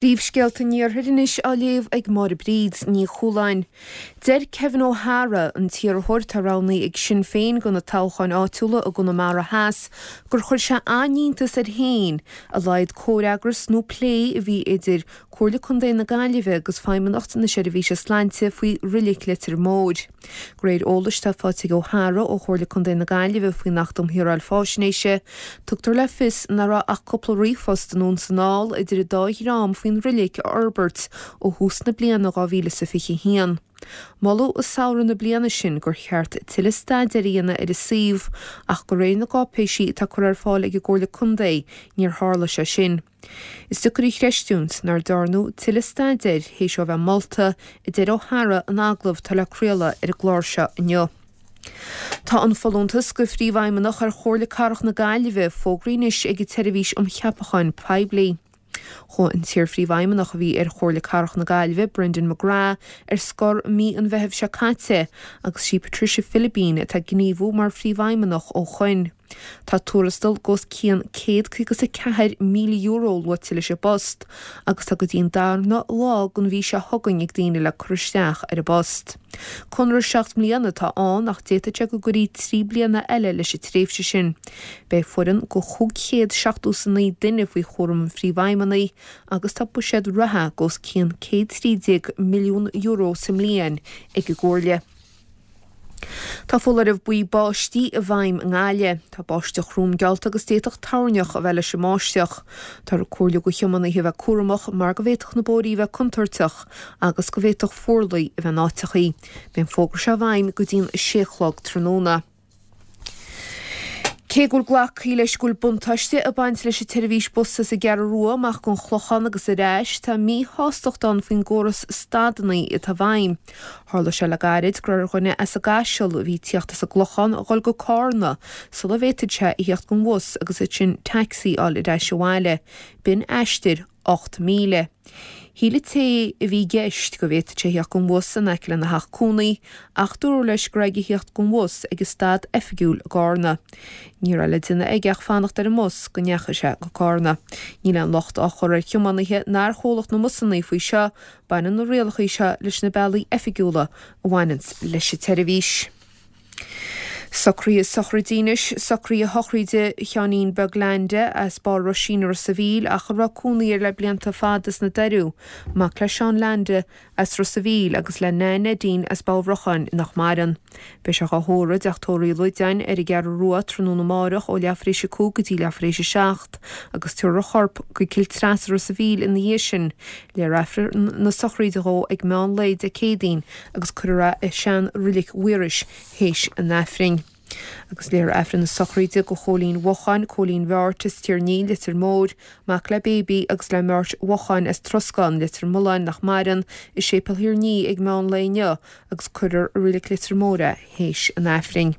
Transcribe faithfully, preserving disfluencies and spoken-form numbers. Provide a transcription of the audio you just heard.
Príomhscéalta an Iarthair anois á léamh ag Máire Bríd Ní Chualáin. Deir Kevin O'Hara, an t-iarrthóir atá roghnaithe ag Sinn Féin do na toghcháin áitiúla i gConamara Theas, gur chuir sé an-iontas air féin a laghad comhfhreagras nó plé a bhí idir Comhairle Contae na Gaillimhe agus Feidhmeannacht na Seirbhíse Sláinte faoi Reilig Leitir Móir. De réir eolais atá faighte ag O'Hara ó Chomhairle Contae na Gaillimhe faoin Acht um Shaoráil Faisnéise, tugtar le fios nach raibh ach cúpla ríomhphost anonn is anall idir an dá dhream faoin reilig a fhorbairt ó thús na bliana dhá mhíle is a fiche a haon. Moladh i samhradh na bliana sin gur cheart tuilleadh staidéir a dhéanamh ar an suíomh ach de réir na gcáipéisí atá curtha ar fáil ag an gComhairle Contae níor tharla sé sin. Is deacair a chreistiúint nár dearnadh tuilleadh staidéir théis ó bheith molta, a deir O'Hara in agallamh atá le craoladh ar an gclár seo inniu. Tá an folúntas do Phríomhfheidhmeannach ar Chomhairle Cathrach na Gaillimhe fógraithe anois ag an tSeirbhís um Cheapacháin Poiblí. Chuaigh an t-iar-phríomhfheidhmeannach a bhí ar Chomhairle Cathrach na Gaillimhe, Brendan McGrath, ar scor mí an Mheithimh seo caite agus sí Patricia Philibín atá ag gníomhú mar phríomhfheidhmeannach ó shoin. Tá tuarastal de os cionn céad caoga is a ceathair míle euro luaite leis an bpost agus tá go dtí an darna lá den mhí seo chugainn ag daoine le cur isteach ar an bpost. Conradh seacht mbliana atá ann ach d'fhéadfadh sé go gcuirfí trí bliana eile leis an tréimhse sin. Beidh foireann de chúig chéad seachtó is a naoi duine faoi chúram an phríomhfheidhmeannaigh agus tá buiséad reatha de os cionn céad trí déag milliún euro sa mbliain ag an gComhairle. Tá foláireamh buí báistí i bhfeidhm i nGaillimh. Tá báisteach throm geallta agus d'fhéadfadh toirneach a bheith leis an mbáisteach. Táthar ag comhairliú do thiománaithe a bheith cúramach mar go bhféadfadh na bóithrí a bheith contúirteach agus go bhféadfadh fuarlaigh a bheith in áiteachaí. Beidh an fógra seo i bhfeidhm go dtí'n a sé a chlog tráthnóna. Cé go bhfuil glactha leis go bhfuil buntáiste ag baint leis an tseirbhís bus as an gCeathrú Rua amach go an Chlochán agus ar ais, tá míshástacht ann faoin gcóras stadanna atá i bhfeidhm. Tharla sé le gairid go raibh ar dhuine as an gCaiseal a bhí ag tíocht as an gClochán a dhul go Cárna sula bhféadfadh sé a thíocht den bhus agus ansin taxi a fháil ar ais abhaile. B'in aistear ocht míle. Shíl an té a bhí i gceist go bhféadfadh sé theacht den bhus in aice lena theach cónaí ach dúradh leis go raibh aige theacht den bhus ag an stad oifigiúil i gCárna. Ní raibh le déanamh aige ach fanacht ar an mbus go ndeachaigh sé go Cárna. Níl aon locht á chur ar thiománaithe ná ar chomhlacht na mbusanna faoi seo, baineann na rialacha seo leis na bealaí oifigiúla a bhaineanns leis an tseirbhís. Socruithe sochraide anois, socruithe shochraide Sheáinín Beag Leainde as Barr Roisín i Ros a' Mhíl ach a raibh cónaí air le blianta fada sna Doiriú, mac le Seán Leainde as Ros a' Mhíl agus le Nan Neidín as Bá Bhrocháin nach maireann. Beidh sé dhá thórramh i dTeach Tórraimh Uí Loideáin ar an gCeathrú Rua tráthnóna amárach ó leathuair tar éis a cúig go dtí leathuair tar éis a seacht agus tabharfar a chorp go Cill Treasa Ros a' Mhíl ina dhiaidh sin. Léifear Aifreann na sochraide dhó ag meán lae Dé Céadaoin agus cuirfear é i sean-Reilig Mhaorais théis an Aifrinn. Agus léifear Aifreann na sochraide do Chóilín Mhocháin, Cóilín Bheáirt as Tír an Fhia, Leitir Móir, mac le Baby agus le Meáirt Mhocháin as Troscán, Leitir Mealláin nach maireann, i Séipéal Thír an Fhia ag meán lae inniu agus cuirfear i Reilig Leitir Móir é théis an Aifrinn.